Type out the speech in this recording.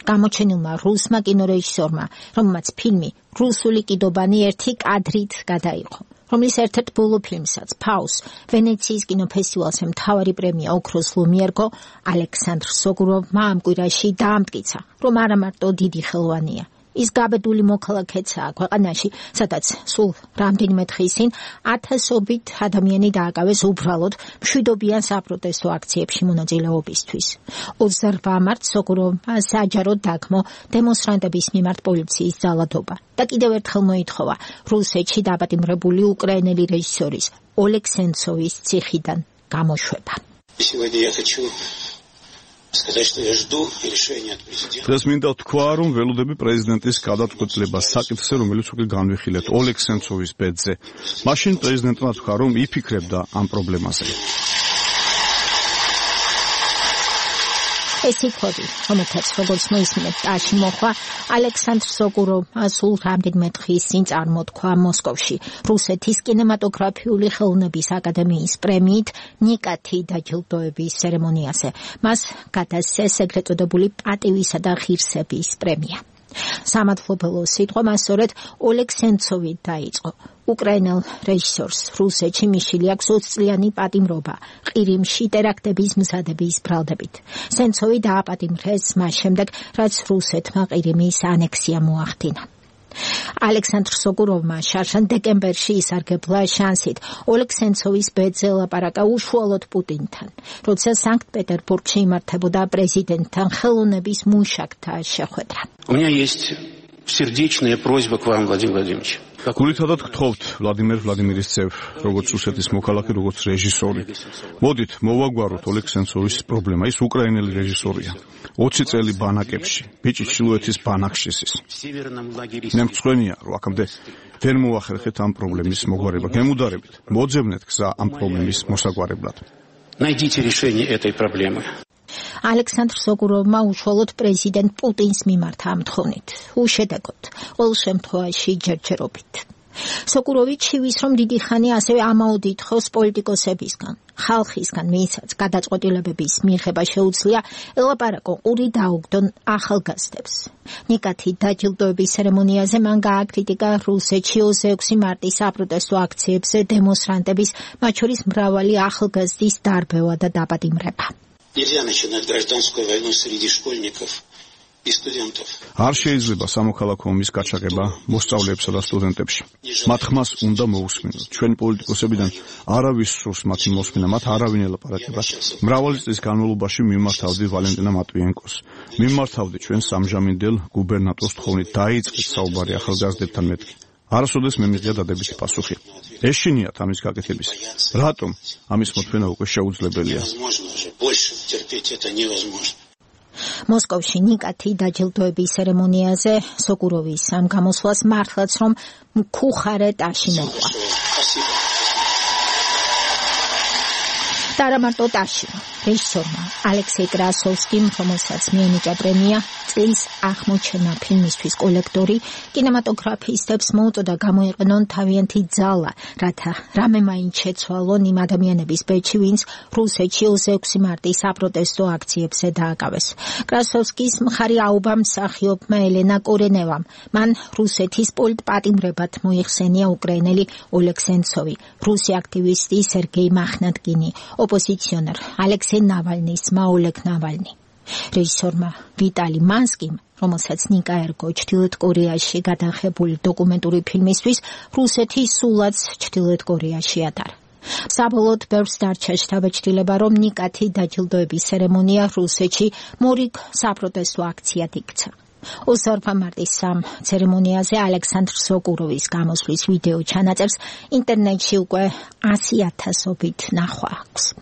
გამოჩენილმა რუსმა კინორეჟისორმა, რომელმაც ფილმი რუსული კიდობანი ერთი კადრით გადაიღო, რომლის ერთ-ერთ ბოლო ფილმსაც ფაუს ვენეციის კინოფესტივალზე მთავარი პრემია ოქროს ლომი ერგო ალექსანდრ სოგუროვმა ამ კვირაში დაამტკიცა, რომ არა მარტო დიდი ხელოვანია, ის გაბედული მოქალაქეცაა ქვეყანაში, სადაც სულ რამდენიმე დღის წინ ათასობით ადამიანი დააკავეს უბრალოდ მშვიდობიან საპროტესტო აქციებში მონაწილეობისთვის. 28 მარტს სოგუროვმა საჯაროდ დაგმო დემონსტრანტების მიმართ პოლიციის ძალადობა და კიდევ ერთხელ მოითხოვა რუსეთში დაპატიმრებული უკრაინელი რეჟისორის ოლეგ სენცოვის ციხიდან გამოშვება. დღეს მინდა ვთქვა, რომ ველოდები პრეზიდენტის გადაწყვეტილებას საკითხზე, რომელიც უკვე განვიხილეთ ოლეგ სენცოვის ბედზე. მაშინ პრეზიდენტმა თქვა, რომ იფიქრებდა ამ პრობლემაზე. ეს იქოდი, რომელთაც როგორც მოისმინეთ ტაში მოხვა ალექსანდრ სოგუროვმა სულ რამდენიმე დღის წინ წარმოთქვა მოსკოვში რუსეთის კინემატოგრაფიული ხელოვნების აკადემიის პრემიით ნიკათი დაჯილდოების ცერემონიაზე. მას გადასცეს ეგრეთ წოდებული პატივისა და ღირსების პრემია. სამადლობელო სიტყვა მას სწორედ ოლეგ სენცოვი დაიწყო. უკრაინელ რეჟისორს რუსეთში მიშილი აქვს 20 წლიანი პატიმრობა ყირიმში ტერაქტების მზადების ბრალდებით. სენცოვი დააპატიმრეს მას შემდეგ, რაც რუსეთმა ყირიმის ანექსია მოახდინა. ალექსანდრ სოგუროვმა შარშან დეკემბერში ისარგებლა შანსით ოლეგ სენცოვის ბედზე ლაპარაკა უშუალოდ პუტინთან, როცა სანქტ-პეტერბურგში იმართებოდა პრეზიდენტთან ხელოვნების მუშაკთა შეხვედრა. У меня есть сердечная просьба к вам, Владимир Владимирович. გულითადად გთხოვთ, ვლადიმერ ვლადიმირის ძევ, როგორც რუსეთის მოქალაქე, როგორც რეჟისორი. მოდით, მოვაგვაროთ ოლეგ სენცოვის პრობლემა. ის უკრაინელი რეჟისორია. 20 წელი ბანაკებში, ბიჭი ჩრდილოეთის ბანაკში ის. მე მწვენია, რომ აქამდე ვერ მოახერხეთ ამ პრობლემის მოგვარება. გემუდარებით, მოძებნეთ გზა ამ პრობლემის მოსაგვარებლად. Найдите решение этой проблемы. ალექსანდრ სოგუროვმა უშუალოდ პრეზიდენტ პუტინს მიმართა ამ თხოვნით, უშედეგოდ, ყოველ შემთხვევაში ჯერჯერობით. სოგუროვი ჩივის, რომ დიდი ხანი ასევე ამაოდით ხოს პოლიტიკოსებისგან, ხალხისგან, ვისაც გადაწყვეტილებების მიღება შეუძლია, ელაპარაკო ყური დაუგდონ ახალგაზრდებს. ნიკათი დაჯილდოების ცერემონიაზე მან გააკრიტიკა რუსეთში 26 მარტის საპროტესტო აქციებზე დემონსტრანტების, მათ შორის მრავალი ახალგაზრდის დარბევა და დაპატიმრება. Нельзя начинать гражданскую войну среди школьников и студентов. არ შეიძლება სამოქალაქო ომის გაჩაღება მოსწავლეებსა და სტუდენტებში. მათ ხმას უნდა მოусმინოთ. ჩვენ პოლიტიკოსებიდან არავის სურს მათი მოსმენა, მათ არავინ ელაპარაკება. მრავალი წლის განმავლობაში მიმართავდი ვალენტინა მატვიენკოს. მიმართავდი ჩვენ სამჟამინდელ გუბერნატორს თხოვნით, დაიწყეთ საუბარი ახალგაზრდებთან მეთქი. არასოდეს მე მიღია დადებითი პასუხი. ეშინიათ ამის გაკეთების. რატომ ამის მოთმენა უკვე შეუძლებელია? მოსკოვში ნიკათი დაჯილდოების ცერემონიაზე სოგუროვის ამ გამოსვლას მართლაც რომ მქუხარე ტაში მოყვა. და არა მარტო ტაში. რეჟისორმა ალექსეი კრასოვსკიმ, რომელსაც მიენიჭა პრემია წლის აღმოჩენა ფილმისთვის კოლექტორი, კინემატოგრაფისტებს მოუწოდა გამოიყენონ თავიანთი ძალა, რათა რამე მაინც შეცვალონ იმ ადამიანების ბეჭი, ვინც რუსეთში 26 მარტის საპროტესტო აქციებზე დააკავეს. კრასოვსკის მხარი აუბა მსახიობმა ელენა კორენევამ. მან რუსეთის პოლიტპატიმრებად მოიხსენია უკრაინელი ოლეგ სენცოვი, რუსი აქტივისტი სერგეი მახნატკინი, ოპოზიციონერ ალექსეი ნავალნის ძმა ოლეგ ნავალნი. რეჟისორმა ვიტალი მანსკიმ, რომელსაც ნიკა ერგო ჩრდილოეთ კორეაში გადაღებული დოკუმენტური ფილმისთვის რუსეთი სულაც ჩრდილოეთ კორეაში ატარა. საბოლოოდ ბევრს დარჩა შთაბეჭდილება, რომ ნიკათი დაჯილდოების ცერემონია რუსეთში მორიგ საპროტესტო აქციად იქცა. 28 მარტის ამ ცერემონიაზე ალექსანდრ სოგუროვის გამოსვლის ვიდეო ჩანაწერს ინტერნეტში უკვე 100,000-ობით ნახვა აქვს.